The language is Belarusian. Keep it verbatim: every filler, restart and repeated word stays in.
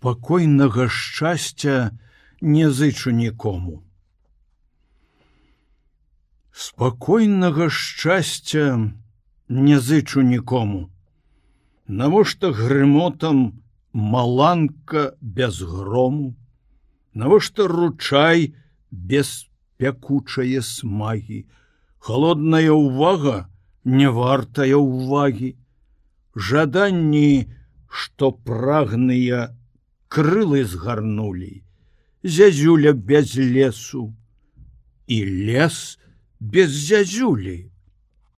Спакойнага шчасця не зычу нікому. Спакойнага шчасця не зычу нікому. Навошта грымотам маланка без грому? Навошта ручай без пякучае смагі? Холодная ўвага не вартая ўвагі. Жаданні, што прагныя, крылы згарнулі, зязюля без лесу, і лес без зязюлі